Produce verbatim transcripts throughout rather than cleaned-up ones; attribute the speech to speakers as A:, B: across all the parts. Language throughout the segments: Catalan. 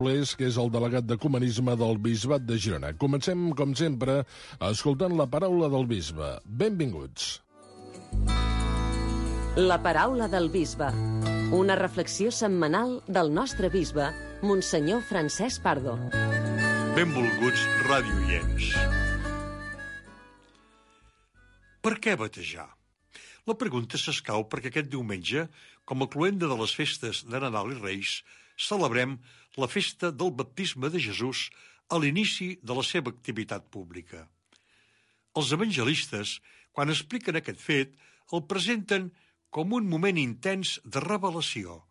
A: que és el delegat d'Ecumenisme del Bisbat de Girona. Comencem, com sempre, escoltant la paraula del bisbe. Benvinguts.
B: La paraula del bisbe. Una reflexió setmanal del nostre bisbe, Monsenyor Francesc Pardo.
C: Benvolguts radioients. Per què batejar? La pregunta s'escau perquè aquest diumenge, com a cloenda de les festes de Nadal i Reis, celebrem la festa del baptisme de Jesús a l'inici de la seva activitat pública. Els evangelistes, quan expliquen aquest fet, el presenten com un moment intens de revelació,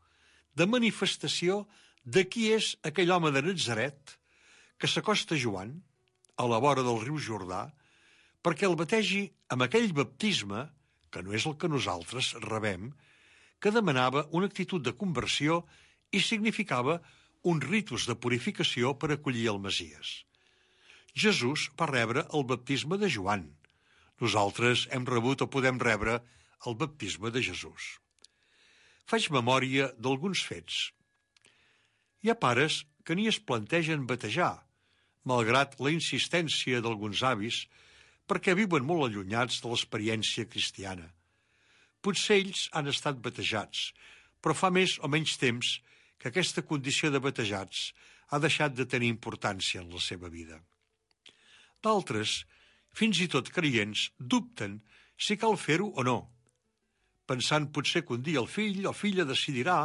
C: de manifestació de qui és aquell home de Natzaret que s'acosta a Joan, a la vora del riu Jordà, perquè el bategi amb aquell baptisme, que no és el que nosaltres rebem, que demanava una actitud de conversió i significava un ritus de purificació per acollir el Messies. Jesús va rebre el baptisme de Joan. Nosaltres hem rebut o podem rebre el baptisme de Jesús. Faig memòria d'alguns fets. Hi ha pares que ni es plantegen batejar, malgrat la insistència d'alguns avis, perquè viuen molt allunyats de l'experiència cristiana. Potser ells han estat batejats, però fa més o menys temps que aquesta condició de batejats ha deixat de tenir importància en la seva vida. D'altres, fins i tot creients, dubten si cal fer-ho o no, pensant potser que un dia el fill o filla decidirà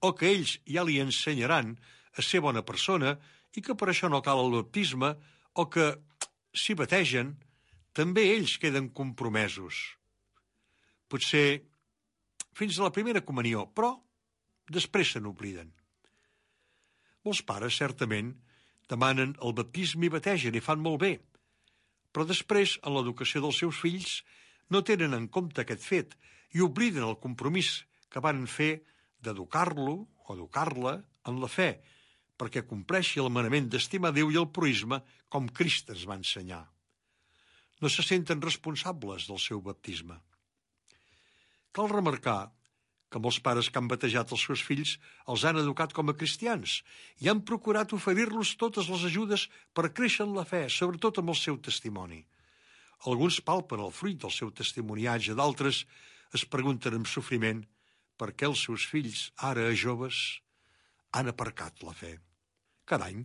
C: o que ells ja li ensenyaran a ser bona persona i que per això no cal el baptisme o que, si bategen, també ells queden compromesos. Potser fins a la primera comunió, però després se n'obliden. Molts pares, certament, demanen el baptisme i bategen i fan molt bé, però després, en l'educació dels seus fills, no tenen en compte aquest fet i obliden el compromís que van fer d'educar-lo o educar-la en la fe, perquè compleixi el manament d'estimar Déu i el proïsme com Crist ens va ensenyar. No se senten responsables del seu baptisme. Cal remarcar que molts pares que han batejat els seus fills els han educat com a cristians i han procurat oferir-los totes les ajudes per créixer en la fe, sobretot amb el seu testimoni. Alguns palpen el fruit del seu testimoniatge, d'altres es pregunten amb sofriment per què els seus fills, ara joves, han aparcat la fe. Cada any,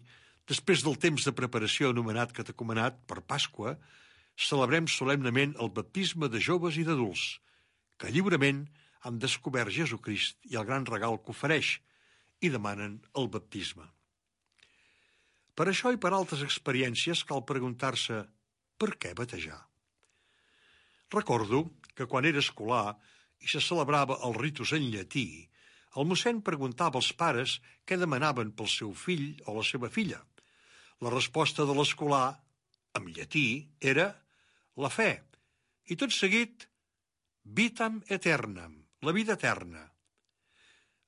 C: després del temps de preparació anomenat catecumenat per Pasqua, celebrem solemnement el baptisme de joves i d'adults, que lliurement han descobert Jesucrist i el gran regal que ofereix i demanen el baptisme. Per això i per altres experiències cal preguntar-se per què batejar. Recordo que quan era escolar i se celebrava el ritus en llatí, el mossèn preguntava als pares què demanaven pel seu fill o la seva filla. La resposta de l'escolar, en llatí, era la fe, i tot seguit vitam aeternam, la vida eterna.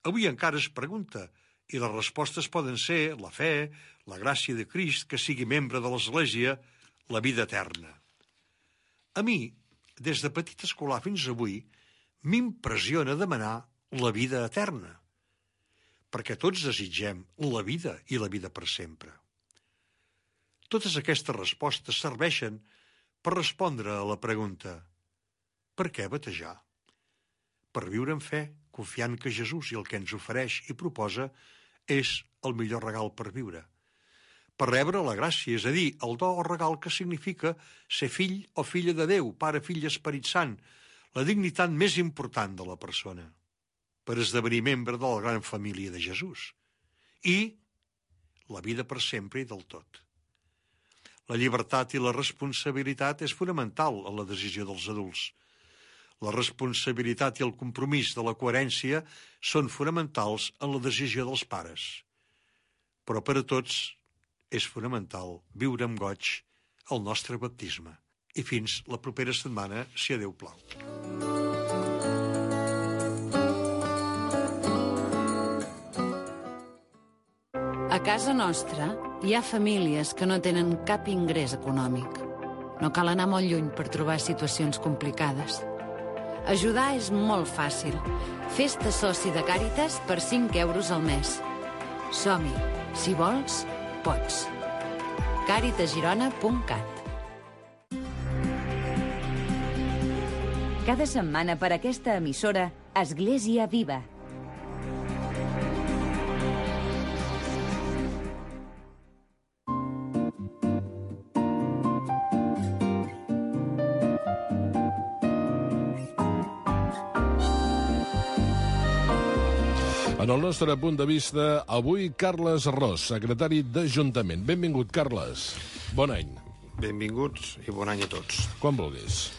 C: Avui encara es pregunta, i les respostes poden ser la fe, la gràcia de Crist, que sigui membre de l'Església, la vida eterna. A mi, des de petit escolar fins avui, m'impressiona demanar la vida eterna, perquè tots desitgem la vida i la vida per sempre. Totes aquestes respostes serveixen per respondre a la pregunta per què batejar? Per viure en fe, confiant que Jesús i el que ens ofereix i proposa és el millor regal per viure. Per rebre la gràcia, és a dir, el do o regal que significa ser fill o filla de Déu, Pare, Fill i Esperit Sant, la dignitat més important de la persona, per esdevenir membre de la gran família de Jesús, i la vida per sempre i del tot. La llibertat i la responsabilitat és fonamental en la decisió dels adults. La responsabilitat i el compromís de la coherència són fonamentals en la decisió dels pares. Però per a tots és fonamental viure amb goig el nostre baptisme. I fins la propera setmana, si a Déu plau.
D: A casa nostra hi ha famílies que no tenen cap ingrés econòmic. No cal anar molt lluny per trobar situacions complicades. Ajudar és molt fàcil. Fes-te soci de Càritas per cinc euros al mes. Som-hi. Si vols, pots. càritas girona punt cat.
E: Cada setmana per aquesta emissora, Església Viva.
A: En el nostre punt de vista, avui Carles Ros, secretari d'Ajuntament. Benvingut, Carles. Bon any.
F: Benvinguts i bon any a tots.
A: Quan vulguis.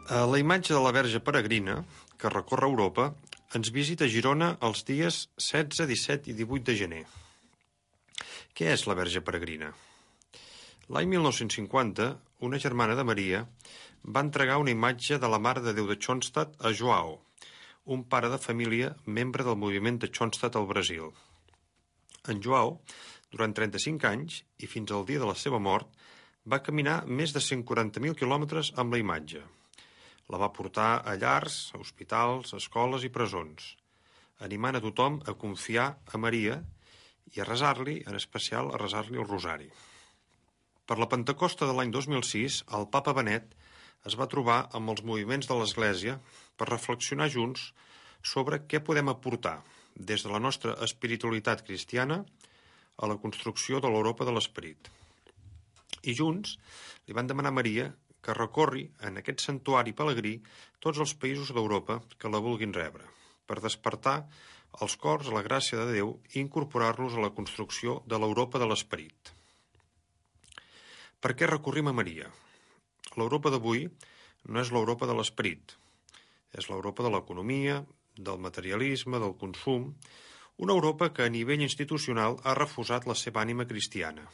F: La imatge de la Verge Peregrina, que recorre Europa, ens visita a Girona els dies setze, disset i divuit de gener. Què és la Verge Peregrina? L'any mil nou-cents cinquanta, una germana de Maria va entregar una imatge de la Mare de Déu de Schoenstatt a Joao, un pare de família membre del moviment de Schoenstatt al Brasil. En Joao, durant trenta-cinc anys, i fins al dia de la seva mort, va caminar més de cent quaranta mil quilòmetres amb la imatge. La va portar a llars, a hospitals, escoles i presons, animant a tothom a confiar a Maria i a resar-li, en especial a resar-li el rosari. Per la Pentecosta de l'any dos mil sis, el papa Benet es va trobar amb els moviments de l'Església per reflexionar junts sobre què podem aportar des de la nostra espiritualitat cristiana a la construcció de l'Europa de l'Esperit. I junts li van demanar a Maria que recorri en aquest santuari pelegrí tots els països d'Europa que la vulguin rebre, per despertar els cors a la gràcia de Déu i incorporar-los a la construcció de l'Europa de l'Esperit. Per què recorrim a Maria? L'Europa d'avui no és l'Europa de l'esperit. És l'Europa de l'economia, del materialisme, del consum, una Europa que a nivell institucional ha refusat la seva ànima cristiana.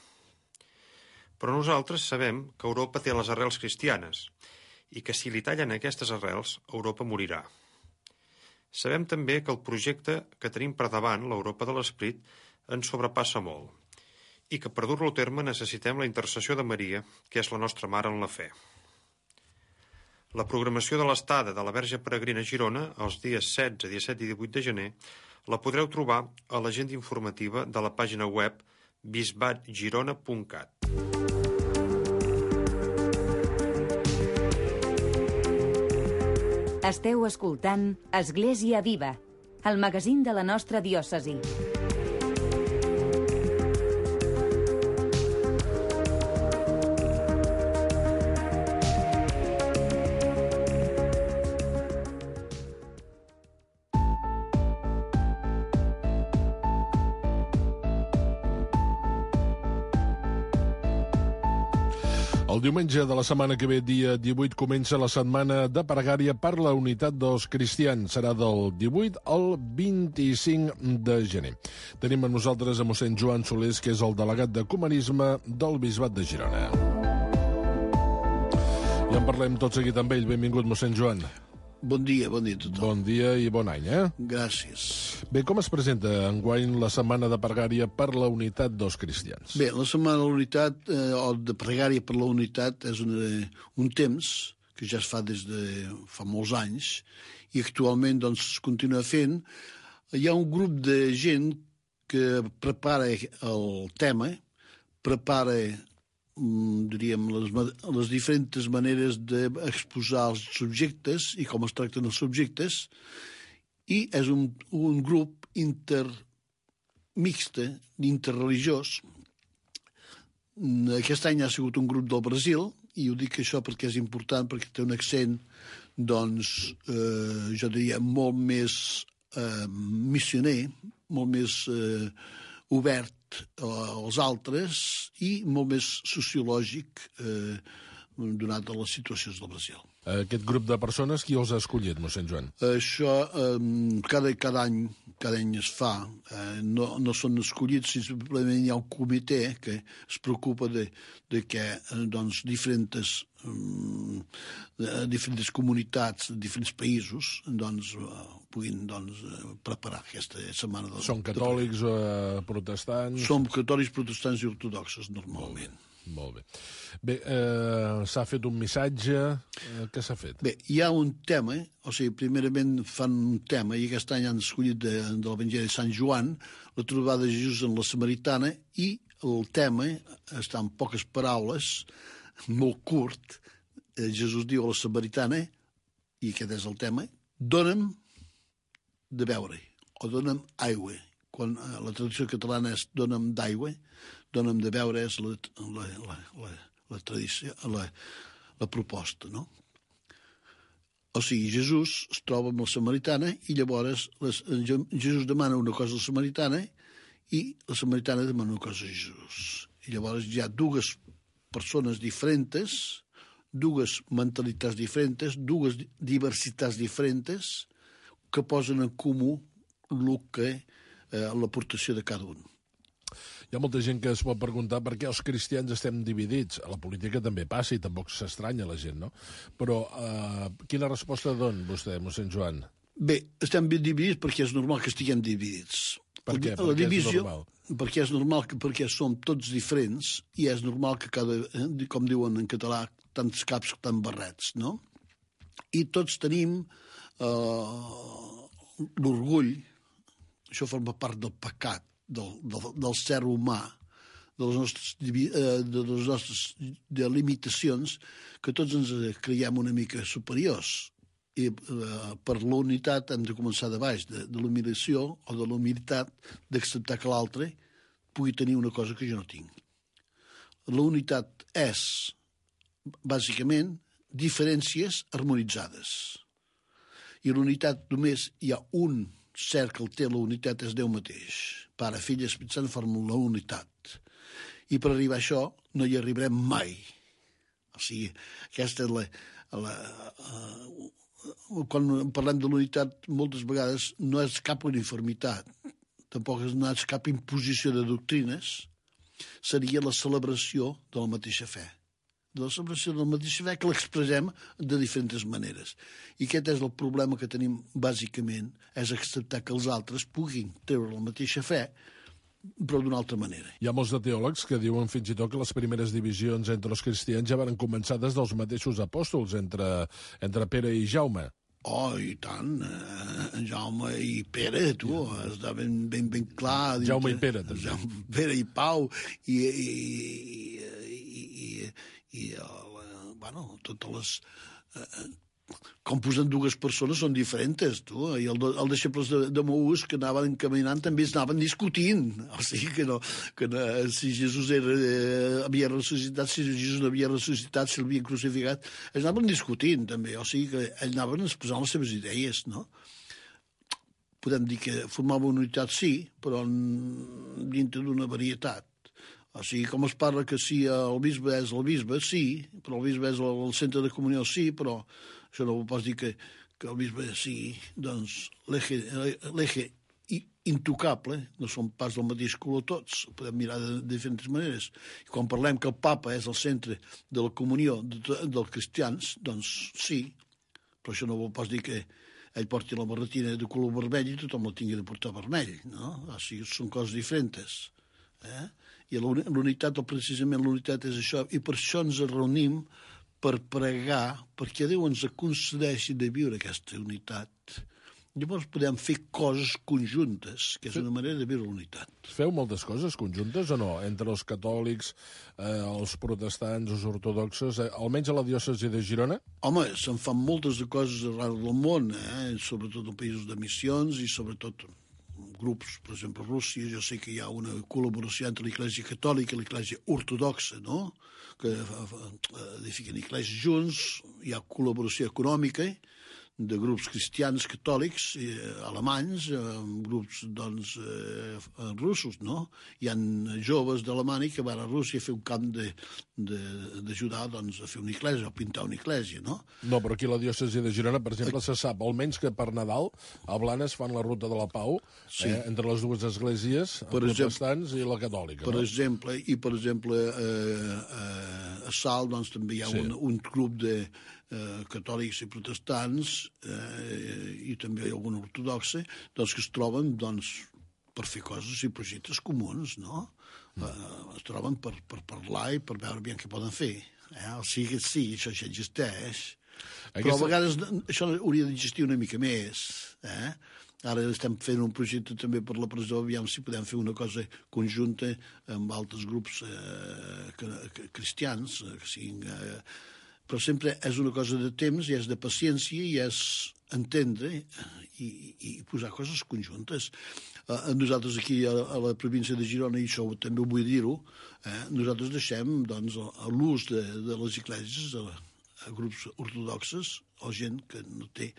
F: Però nosaltres sabem que Europa té les arrels cristianes i que si li tallen aquestes arrels, Europa morirà. Sabem també que el projecte que tenim per davant, l'Europa de l'esperit, ens sobrepassa molt i que per dur-lo a terme necessitem la intercessió de Maria, que és la nostra mare en la fe. La programació de l'estada de la Verge Peregrina a Girona, els dies setze, disset i divuit de gener, la podreu trobar a l'agenda informativa de la pàgina web bisbat girona punt cat.
E: Esteu escoltant Església Viva, el magazín de la nostra diòcesi.
A: El diumenge de la setmana que ve, dia divuit, comença la setmana de pregària per la unitat dels cristians. Serà del divuit al vint-i-cinc de gener. Tenim amb nosaltres a mossèn Joan Solés, que és el delegat d'Ecumenisme del Bisbat de Girona. I en parlem tot seguit amb ell. Benvingut, mossèn Joan.
G: Bon dia, bon dia a tothom.
A: Bon dia i bon any, eh?
G: Gràcies.
A: Bé, com es presenta enguany la setmana de pregària per la unitat dels cristians?
G: Bé, la setmana de la unitat, eh, o de pregària per la unitat, és una, un temps que ja es fa des de fa molts anys i actualment doncs, es continua fent. Hi ha un grup de gent que prepara el tema, prepara diríem, les, les diferents maneres d'exposar els subjectes i com es tracten els subjectes, i és un, un grup intermixte, interreligiós. Aquest any ha sigut un grup del Brasil, i ho dic això perquè és important, perquè té un accent, doncs, eh, jo diria, molt més eh, missioner, molt més eh, obert als altres i molt més sociològic eh, donat a les situacions del Brasil.
A: Aquest grup de persones, qui els ha escollit, mossèn Joan?
G: Això eh, cada, cada, any, cada any es fa. Eh, no, no són escollits, simplement hi ha un comitè que es preocupa de, de que eh, doncs, diferents, eh, diferents comunitats, diferents països, doncs, eh, puguin doncs, preparar aquesta setmana. De,
A: Són catòlics o eh, protestants?
G: Som catòlics, protestants i ortodoxos, normalment.
A: Molt bé. Bé, eh, s'ha fet un missatge. Eh, què s'ha fet?
G: Bé, hi ha un tema, o sigui, primerament fan un tema, i aquest any han escollit de, de l'Evangeli de Sant Joan, la trobada de Jesús en la Samaritana, i el tema està en poques paraules, molt curt. Eh, Jesús diu a la Samaritana, i aquest és el tema, dona'm de beure, o dona'm aigua. Quan eh, la traducció catalana és dona'm d'aigua, dona'm de beure és la, la, la, la, la tradició, la, la proposta, no? O sigui, Jesús es troba amb la Samaritana i llavors les, Jesús demana una cosa a la Samaritana i la Samaritana demana una cosa a Jesús. I llavors hi ha dues persones diferents, dues mentalitats diferents, dues diversitats diferents que posen en comú el que eh, l'aportació de cada un.
A: Hi ha molta gent que es pot preguntar per què els cristians estem dividits. A la política també passa i tampoc s'estranya la gent, no? Però eh, quina resposta don vostè, mossèn Joan?
G: Bé, estem ben dividits perquè és normal que estiguem dividits.
A: Per què?
G: La, la
A: perquè
G: divisió,
A: és normal?
G: Perquè és normal, que, perquè som tots diferents i és normal que cada, com diuen en català, tants caps, tants barrets, no? I tots tenim eh, l'orgull, això forma part del pecat, Del, del, del ser humà, de les nostres, de les nostres de limitacions, que tots ens creiem una mica superiors. I eh, per la unitat hem de començar de baix, de, de l'humiliació o de la humilitat d'acceptar que l'altre pugui tenir una cosa que jo no tinc. La unitat és, bàsicament, diferències harmonitzades. I l'unitat només hi ha un cert que el té la unitat és Déu mateix. Pare, Fill i Espírit Sant formen la unitat. I per arribar a això no hi arribarem mai. O sigui, aquesta és la... la uh, quan parlem de l'unitat, moltes vegades no és cap uniformitat, tampoc no és cap imposició de doctrines, seria la celebració de la mateixa fe. De la celebració de la mateixa fe que l'expressem de diferents maneres. I aquest és el problema que tenim, bàsicament, és acceptar que els altres puguin treure la mateixa fe, però d'una altra manera.
A: Hi ha molts de teòlegs que diuen fins i tot que les primeres divisions entre els cristians ja van començar des dels mateixos apòstols, entre, entre Pere i Jaume.
G: Oh, i tant. Eh, Jaume i Pere, tu, està ben, ben, ben clar.
A: Jaume i Pere, també.
G: Jaume, Pere i Pau, i... i, i, i, i el, bueno, totes les... Eh, com posen dues persones són diferents, tu. I el, el deixebles de, de Maús que anaven caminant també es anaven discutint. O sigui que no, que no si Jesús era, eh, havia ressuscitat, si Jesús no havia ressuscitat, si l'havien crucificat, es anaven discutint també. O sigui que ells anaven exposant les seves idees, no? Podem dir que formava una unitat, sí, però dintre d'una varietat. O sigui, com es parla que si el bisbe és el bisbe, sí, però el bisbe és el centre de comunió, sí, però això no vols dir que, que el bisbe sigui, doncs, l'eje intocable, no som pas del mateix color tots, ho podem mirar de, de diferents maneres. I quan parlem que el papa és el centre de la comunió de, de, dels cristians, doncs sí, però això no vols dir que ell porti la barretina de color vermell i tothom la tingui de portar vermell, no? O sigui, són coses diferents. Eh? I l'unitat, o precisament l'unitat és això, i per això ens reunim per pregar, perquè Déu ens concedeixi de viure aquesta unitat. Llavors podem fer coses conjuntes, que és una manera de viure l'unitat.
A: Feu moltes coses conjuntes o no? Entre els catòlics, eh, els protestants, els ortodoxos, eh, almenys a la diòcesi de Girona?
G: Home, se'n fan moltes de coses arreu del món, eh? Sobretot en països de missions i sobretot grups, per exemple, a Rússia, jo sé que hi ha una col·laboració entre l'Església Catòlica i l'Església Ortodoxa, no?, que edifiquen esglésies junts, hi ha col·laboració econòmica de grups cristians catòlics eh, alemanys, amb grups, doncs, eh, russos, no? Hi ha joves d'Alemanya que van a Rússia a fer un camp d'ajudar, doncs, a fer una església, a pintar una església, no?
A: No, però aquí a la diòcesi de Girona, per exemple, se sap, almenys que per Nadal, a Blanes fan la ruta de la Pau, sí, eh, entre les dues esglésies, els protestants i la catòlica.
G: Per
A: no?
G: exemple, i per exemple, eh, eh, a Salt, doncs, també hi ha sí. un, un grup de eh, catòlics i protestants, eh, i també hi ha alguna ortodoxa, doncs, que es troben, doncs, per fer coses i projectes comuns, no? Mm. Uh, es troben per, per parlar i per veure bé què poden fer. Eh? O sigui, sí, això ja existeix, Aquesta... però a vegades això hauria d'existir una mica més. Eh? Ara estem fent un projecte també per la presó, aviam si podem fer una cosa conjunta amb altres grups eh, que, que, cristians, eh, que siguin... Eh, però sempre és una cosa de temps i és de paciència i és entendre i, i posar coses conjuntes. Eh, nosaltres aquí a, a la província de Girona, i això també ho vull dir-ho, eh, nosaltres deixem doncs, l'ús de, de les esglésies a, a grups ortodoxes o gent que no té...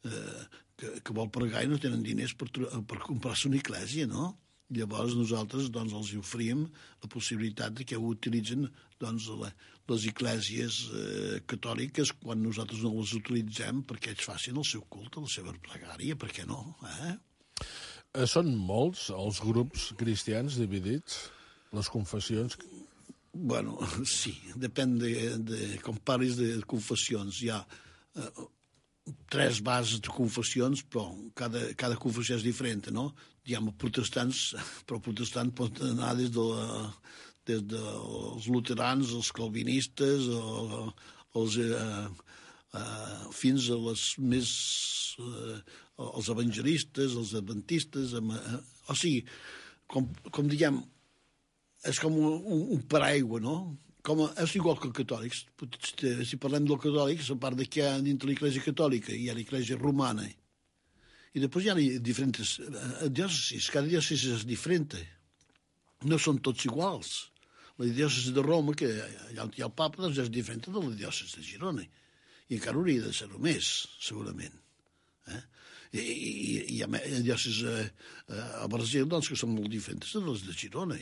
G: Eh, que, que vol pregar i no tenen diners per, per comprar-se una església, no? Llavors nosaltres doncs, els oferim la possibilitat de que ho utilitzen doncs, la, les esglésies eh, catòliques quan nosaltres no les utilitzem perquè ells facin el seu culte, la seva pregària, per què no? Eh?
A: Són molts els grups cristians dividits? Les confessions?
G: Bueno, sí, depèn de, de com parlis de confessions. Hi ha eh, tres bases de confessions, però cada, cada confessió és diferent, no? Diguem, protestants, però protestant pot anar des, de la, des dels luterans, els calvinistes, o, els, eh, eh, fins a les més... Eh, els evangelistes, els adventistes... Eh, o sigui, com, com diguem, és com un, un, un paraigua, no? Com a, és igual que els catòlics. Si parlem dels catòlics, a part de que hi ha dintre l'Església catòlica, hi ha l'Església romana, i després hi ha diferents diòcesis. Cada diòcesi és diferent. No són tots iguals. La diòcesi de Roma, que allà on hi ha el papa, doncs és diferent de la diòcesi de Girona. I encara hauria de ser-ho més, segurament. Eh? I, i, i hi ha diòcesis a, a Brasil doncs, que són molt diferents de les de Girona.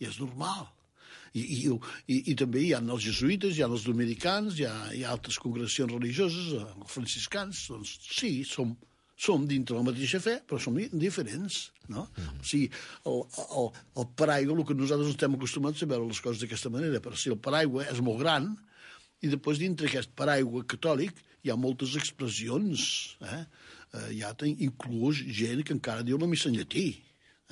G: I és normal. I, i, i, i també hi ha els jesuïtes, hi ha els dominicans, hi ha, hi ha altres congregacions religioses, els franciscans, doncs sí, som, som dintre la mateixa fe, però som diferents, no? Mm. O sigui, el, el, el paraigua, el que nosaltres estem acostumats a veure les coses d'aquesta manera, però si el paraigua és molt gran, i després dintre aquest paraigua catòlic hi ha moltes expressions, eh? Eh, hi ha inclús gent que encara diu la missa en llatí,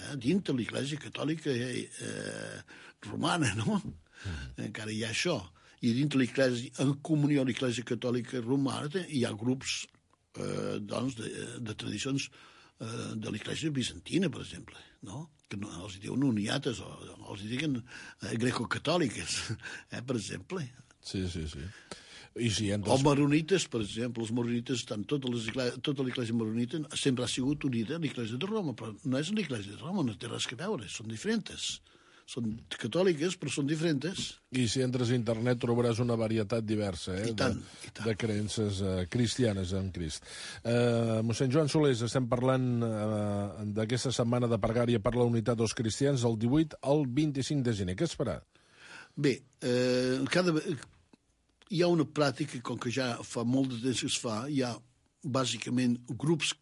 G: eh? Dintre l'Església catòlica eh, eh, romana, no? Mm. Encara hi ha això. I dintre l'Església, en comunió amb l'Església catòlica romana, hi ha grups eh, doncs, de, de tradicions eh, de l'Església bizantina, per exemple, no? Que no, els diuen uniates, o els diuen eh, greco-catòliques, eh, per exemple.
A: Sí, sí, sí. I si hem
G: o maronites, per exemple, els maronites estan, tota l'Església maronita sempre ha sigut unida a l'Església de Roma, però no és l'Església de Roma, no té res a veure, són diferents. Són catòliques, però són diferents.
A: I si entres a internet trobaràs una varietat diversa eh,
G: I tant,
A: de,
G: i tant.
A: de creences eh, cristianes en Crist. Eh, mossèn Joan Solés, estem parlant eh, d'aquesta setmana de pregària per la unitat dels cristians del divuit al vint-i-cinc de gener. Què es farà?
G: Bé, eh, cada... hi ha una pràctica, com que ja fa molt de temps que es fa, hi ha bàsicament grups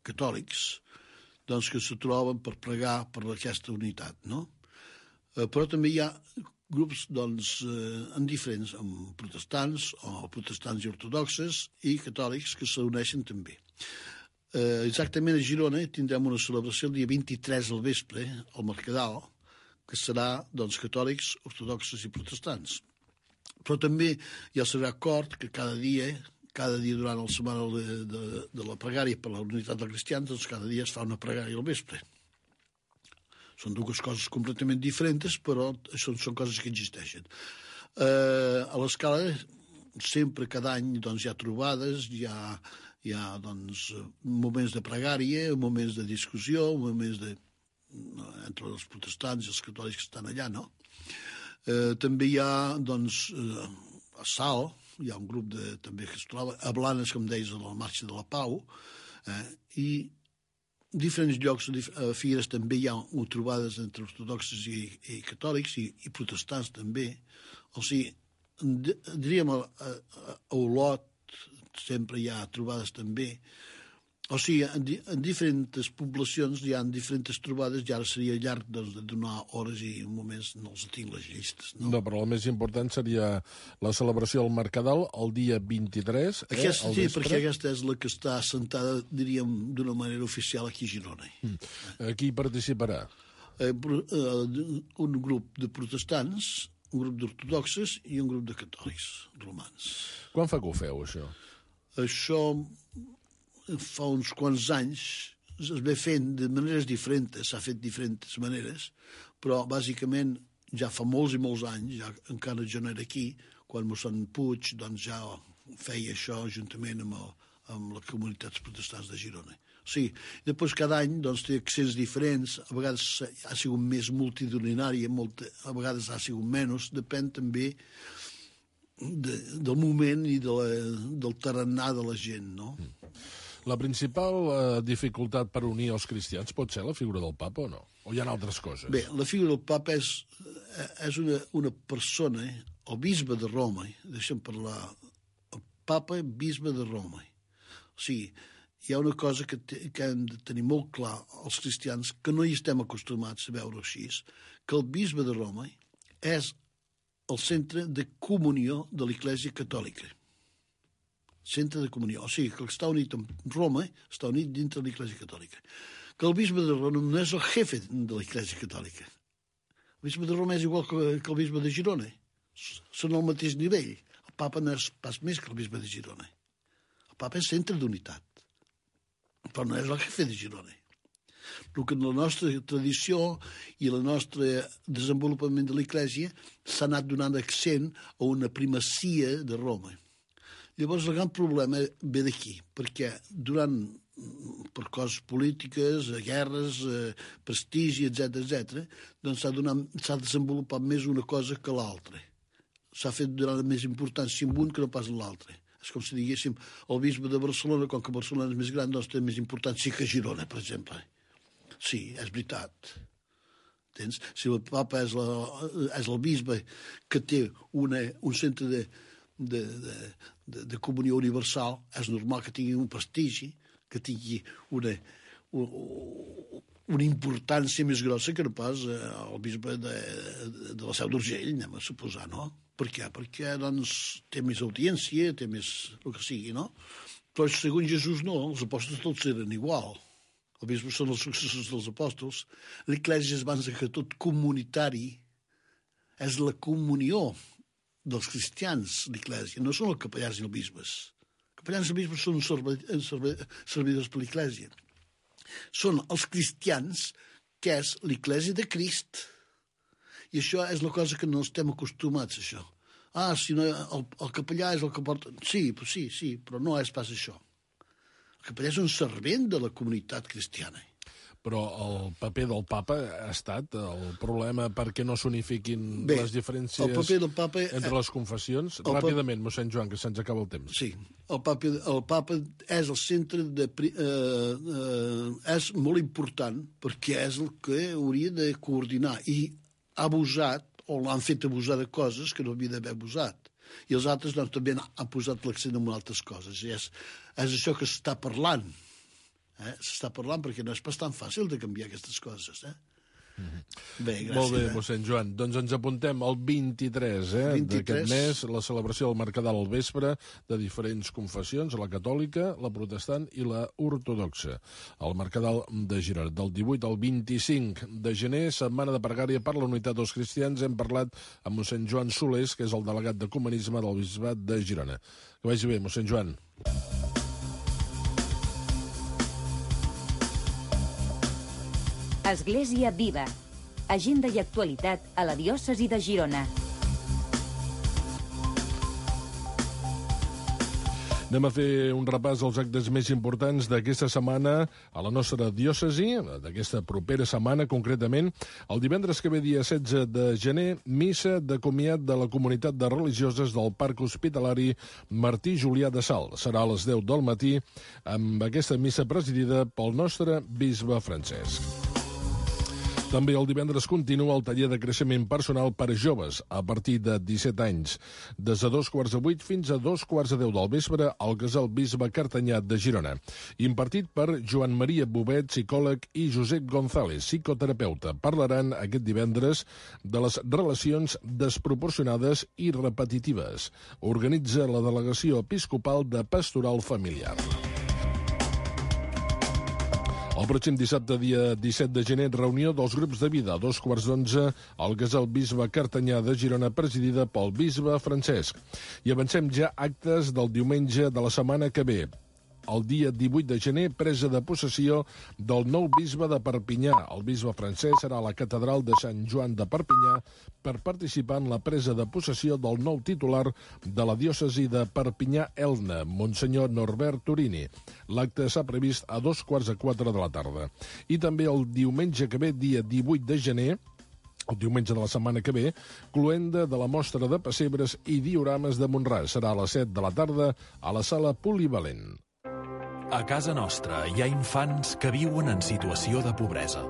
G: catòlics doncs, que se troben per pregar per aquesta unitat, no? Eh, però també hi ha grups doncs, eh, en diferents, amb protestants o protestants i ortodoxes i catòlics que s'uneixen també. Eh, exactament a Girona tindrem una celebració el dia vint-i-tres al vespre, al Mercadal, que serà doncs, catòlics, ortodoxes i protestants. Però també hi ha el Sagrat Cor, que cada dia, cada dia durant la setmana de, de, de la pregària per la unitat dels cristians, doncs cada dia es fa una pregària al vespre. Són dues coses completament diferents, però són, són coses que existeixen. Eh, a l'escala, sempre, cada any, doncs, hi ha trobades, hi ha, hi ha doncs, moments de pregària, moments de discussió, moments de, entre els protestants i els catòlics que estan allà, no? Eh, també hi ha, doncs, eh, a Sal, hi ha un grup de, també que es troba, a Blanes, com deies, a la Marxa de la Pau, eh, i diferents llocs, a Figueres també hi ha trobades entre ortodoxes i, i catòlics, i, i protestants també. O sigui, diríem, a, a, a Olot sempre hi ha trobades també. O sigui, en, di, en diferents poblacions hi ha diferents trobades i ara seria llarg doncs, de donar hores i moments, no els tinc les llistes. No?
A: no, però el més important seria la celebració al Mercadal el dia vint-i-tres.
G: Aquesta,
A: eh,
G: sí, perquè aquesta és la que està assentada, diríem, d'una manera oficial aquí a Girona.
A: Mm. Qui participarà?
G: eh, un grup de protestants, un grup d'ortodoxes i un grup de catòlics romans.
A: Quan fa que ho feu, això?
G: Això fa uns quants anys es ve fent de maneres diferents, s'ha fet de diferents maneres, però bàsicament ja fa molts i molts anys, ja encara jo no era aquí, quan mossèn Puig doncs ja feia això juntament amb, el, amb les comunitats protestants de Girona. O sigui, després cada any doncs, té accents diferents, a vegades ha sigut més multitudinari, a vegades ha sigut menys, depèn també de, del moment i de la, del tarannà de la gent, no?
A: La principal eh, dificultat per unir els cristians pot ser la figura del papa o no? O hi ha altres coses?
G: Bé, la figura del papa és, és una, una persona, el bisbe de Roma, deixa'm parlar, el papa bisbe de Roma. O sigui, hi ha una cosa que, te, que hem de tenir molt clar els cristians, que no hi estem acostumats a veure així, que el bisbe de Roma és el centre de comunió de l'Església Catòlica. Centre de comunió. O sigui, que el que està unit amb Roma està unit dintre de l'Església Catòlica. Que el bisbe de Roma no és el jefe de l'Església Catòlica. El bisbe de Roma és igual que, que el bisbe de Girona. Són al mateix nivell. El papa no és pas més que el bisbe de Girona. El papa és centre d'unitat. Però no és el jefe de Girona. El que en la nostra tradició i el nostre desenvolupament de l'Església s'ha anat donant accent a una primacia de Roma. Llavors, el gran problema ve d'aquí, perquè durant, per coses polítiques, guerres, eh, prestigi, etcètera, etcètera, doncs s'ha donat, s'ha desenvolupat més una cosa que l'altra. S'ha fet donar més importància en un que no pas en l'altre. És com si diguéssim, el bisbe de Barcelona, com que Barcelona és més gran, doncs té més importància que Girona, per exemple. Sí, és veritat. Entens? Si el papa és, la, és el bisbe que té una, un centre de De, de, de, de comunió universal, és normal que tingui un prestigi, que tingui una, una, una importància més grossa que no pas el bisbe de, de la Seu d'Urgell, anem a suposar, no? Per què? Perquè doncs, té més audiència, té més el que sigui, no? Però segons Jesús no, els apòstols tots eren igual. Els bisbes són els successors dels apòstols. L'Església és abans que tot comunitari, és la comunió dels cristians, l'Església, no són els capellans i els bisbes. Els capellans i els bisbes són servidors per l'Església. Són els cristians, que és l'Església de Crist. I això és la cosa que no estem acostumats, això. Ah, si no, el, el capellà és el que porta... Sí, sí, sí, però no és pas això. El capellà és un servent de la comunitat cristiana.
A: Però el paper del papa ha estat el problema perquè no s'unifiquin les diferències
G: el paper del papa,
A: entre les confessions? Ràpidament, mossèn Joan, que se'ns acaba el temps.
G: Sí, el papa, el papa és el centre de... Eh, eh, és molt important perquè és el que hauria de coordinar i ha abusat, o l'han fet abusar de coses que no havia d'haver abusat. I els altres doncs, també han posat l'accent en altres coses. I és, és això que s'està parlant. Eh? S'està parlant perquè no és pas tan fàcil de canviar aquestes coses. Eh? Mm-hmm. Bé, gràcies.
A: Molt bé, mossèn Joan. Doncs ens apuntem al vint-i-tres, eh, d'aquest mes, la celebració del Mercadal al vespre de diferents confessions, la catòlica, la protestant i la ortodoxa. El Mercadal de Girona, del divuit al vint-i-cinc de gener, setmana de pregària per la unitat dels cristians. Hem parlat amb mossèn Joan Solés, que és el delegat d'ecumenisme del bisbat de Girona. Que vagi bé, mossèn Joan.
E: Església Viva. Agenda i actualitat a la diòcesi de Girona.
A: Anem a fer un repàs dels actes més importants d'aquesta setmana a la nostra diòcesi, d'aquesta propera setmana concretament. El divendres que ve, dia setze de gener, missa de comiat de la comunitat de religioses del Parc Hospitalari Martí Julià de Salt. Serà a les deu del matí amb aquesta missa presidida pel nostre bisbe Francesc. També el divendres continua el taller de creixement personal per a joves a partir de disset anys, des de dos quarts de vuit fins a dos quarts de deu del vespre al Casal Bisbe Cartanyà de Girona, impartit per Joan Maria Bobet, psicòleg, i Josep González, psicoterapeuta. Parlaran aquest divendres de les relacions desproporcionades i repetitives. Organitza la Delegació Episcopal de Pastoral Familiar. El pròxim dissabte, dia disset de gener, reunió dels grups de vida a dos quarts d'onze al Casal Bisbe Cartanyà de Girona, presidida pel bisbe Francesc. I avancem ja actes del diumenge de la setmana que ve. El dia divuit de gener, presa de possessió del nou bisbe de Perpinyà. El bisbe Francesc serà a la catedral de Sant Joan de Perpinyà per participar en la presa de possessió del nou titular de la diòcesi de Perpinyà-Elna, Monsenyor Norbert Turini. L'acte s'ha previst a dos quarts de quatre de la tarda. I també el diumenge que ve, dia divuit de gener, el diumenge de la setmana que ve, cloenda de la mostra de pessebres i diorames de Mont-ras. Serà a les set de la tarda a la sala polivalent.
H: A casa nostra hi ha infants que viuen en situació de pobresa.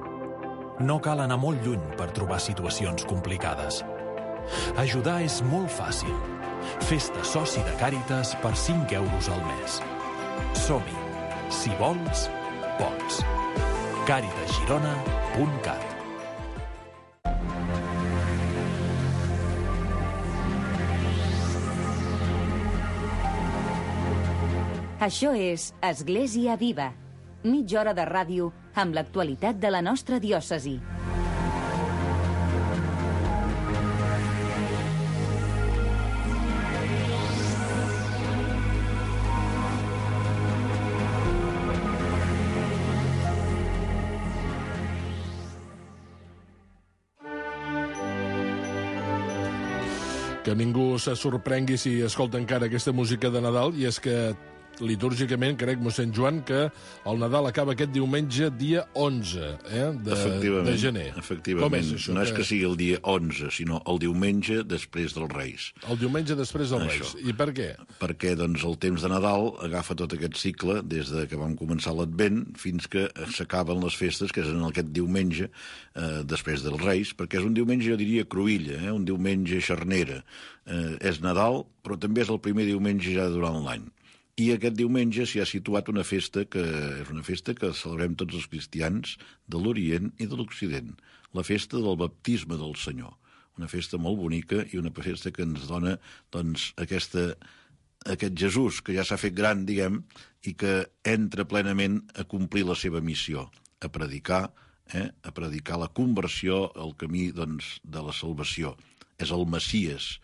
H: No cal anar molt lluny per trobar situacions complicades. Ajudar és molt fàcil. Fes-te soci de Càritas per cinc euros al mes. Som-hi. Si vols, pots. càritas girona punt cat.
E: Això és Església Viva, mitja hora de ràdio amb l'actualitat de la nostra diòcesi.
A: Que ningú se sorprengui si escolta encara aquesta música de Nadal, i és que litúrgicament, crec, mossèn Joan, que el Nadal acaba aquest diumenge, dia onze eh, de, de gener.
I: Efectivament.
A: És
I: no és que sigui el dia onze, sinó el diumenge després dels Reis.
A: El diumenge després dels
I: Això.
A: Reis. I per què?
I: Perquè doncs, el temps de Nadal agafa tot aquest cicle, des de que vam començar l'Advent fins que s'acaben les festes, que és en aquest diumenge eh, després dels Reis, perquè és un diumenge, jo diria, cruïlla, eh, un diumenge xarnera. Eh, és Nadal, però també és el primer diumenge ja durant l'any. I aquest diumenge s'hi ha situat una festa que és una festa que celebrem tots els cristians de l'Orient i de l'Occident, la festa del baptisme del Senyor. Una festa molt bonica i una festa que ens dona doncs, aquesta, aquest Jesús que ja s'ha fet gran, diguem, i que entra plenament a complir la seva missió, a predicar, eh, a predicar la conversió, el camí doncs, de la salvació. És el Messies.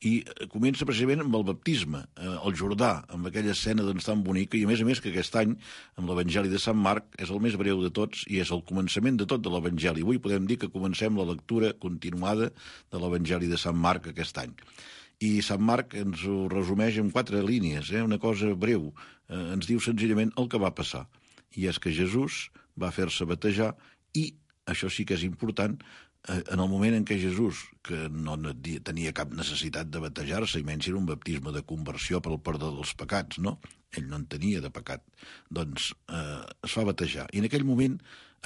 I: I comença precisament amb el baptisme, eh, al Jordà, amb aquella escena doncs, tan bonica, i a més a més que aquest any, amb l'Evangeli de Sant Marc, és el més breu de tots i és el començament de tot de l'Evangeli. Avui podem dir que comencem la lectura continuada de l'Evangeli de Sant Marc aquest any. I Sant Marc ens ho resumeix en quatre línies, eh, una cosa breu. Eh, ens diu senzillament el que va passar. I és que Jesús va fer-se batejar i, això sí que és important, en el moment en què Jesús, que no tenia cap necessitat de batejar-se, i menys era un baptisme de conversió per al perdó dels pecats, no? Ell no en tenia de pecat. Doncs eh, es fa batejar. I en aquell moment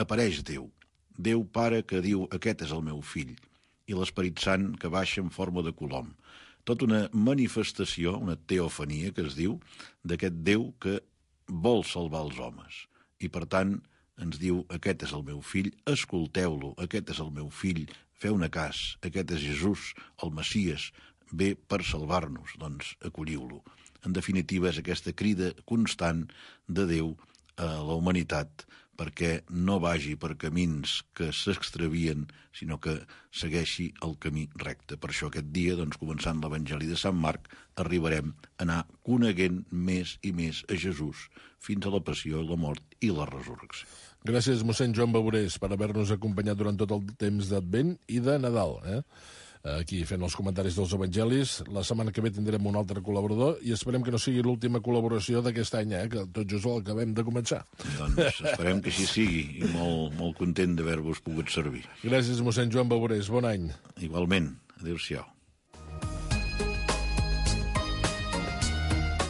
I: apareix Déu. Déu Pare que diu, aquest és el meu fill, i l'Esperit Sant que baixa en forma de colom. Tota una manifestació, una teofania que es diu, d'aquest Déu que vol salvar els homes. I per tant, ens diu, aquest és el meu fill, escolteu-lo, aquest és el meu fill, feu-ne cas, aquest és Jesús, el Messies, ve per salvar-nos, doncs acolliu-lo. En definitiva, és aquesta crida constant de Déu a la humanitat perquè no vagi per camins que s'extravien, sinó que segueixi el camí recte. Per això aquest dia, doncs, començant l'Evangeli de Sant Marc, arribarem a anar coneguent més i més a Jesús fins a la passió, la mort i la resurrecció.
A: Gràcies, mossèn Joan Bavorés, per haver-nos acompanyat durant tot el temps d'Advent i de Nadal, eh? Aquí fent els comentaris dels evangelis. La setmana que ve tindrem un altre col·laborador i esperem que no sigui l'última col·laboració d'aquest any, eh? Que tot just el acabem de començar.
I: Doncs esperem que així sigui i molt, molt content d'haver-vos pogut servir.
A: Gràcies, mossèn Joan Bavorés. Bon any.
I: Igualment. Adéu-siau.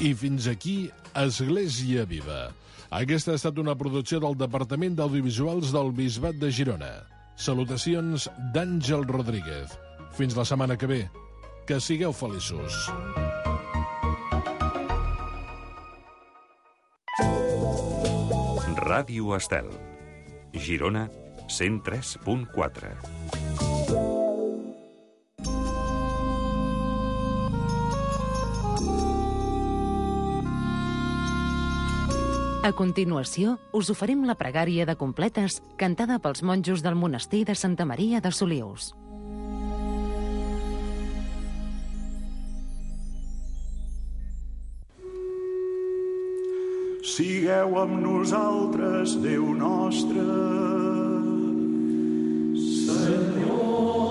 A: I fins aquí Església Viva. Aquesta ha estat una producció del Departament d'Audiovisuals del Bisbat de Girona. Salutacions d'Àngel Rodríguez. Fins la setmana que ve. Que sigueu feliços.
J: Ràdio Estel. Girona, cent tres punt quatre.
D: A continuació, us oferim la pregària de completes cantada pels monjos del monestir de Santa Maria de Solius.
K: Sigueu amb nosaltres, Déu nostre. Senyor.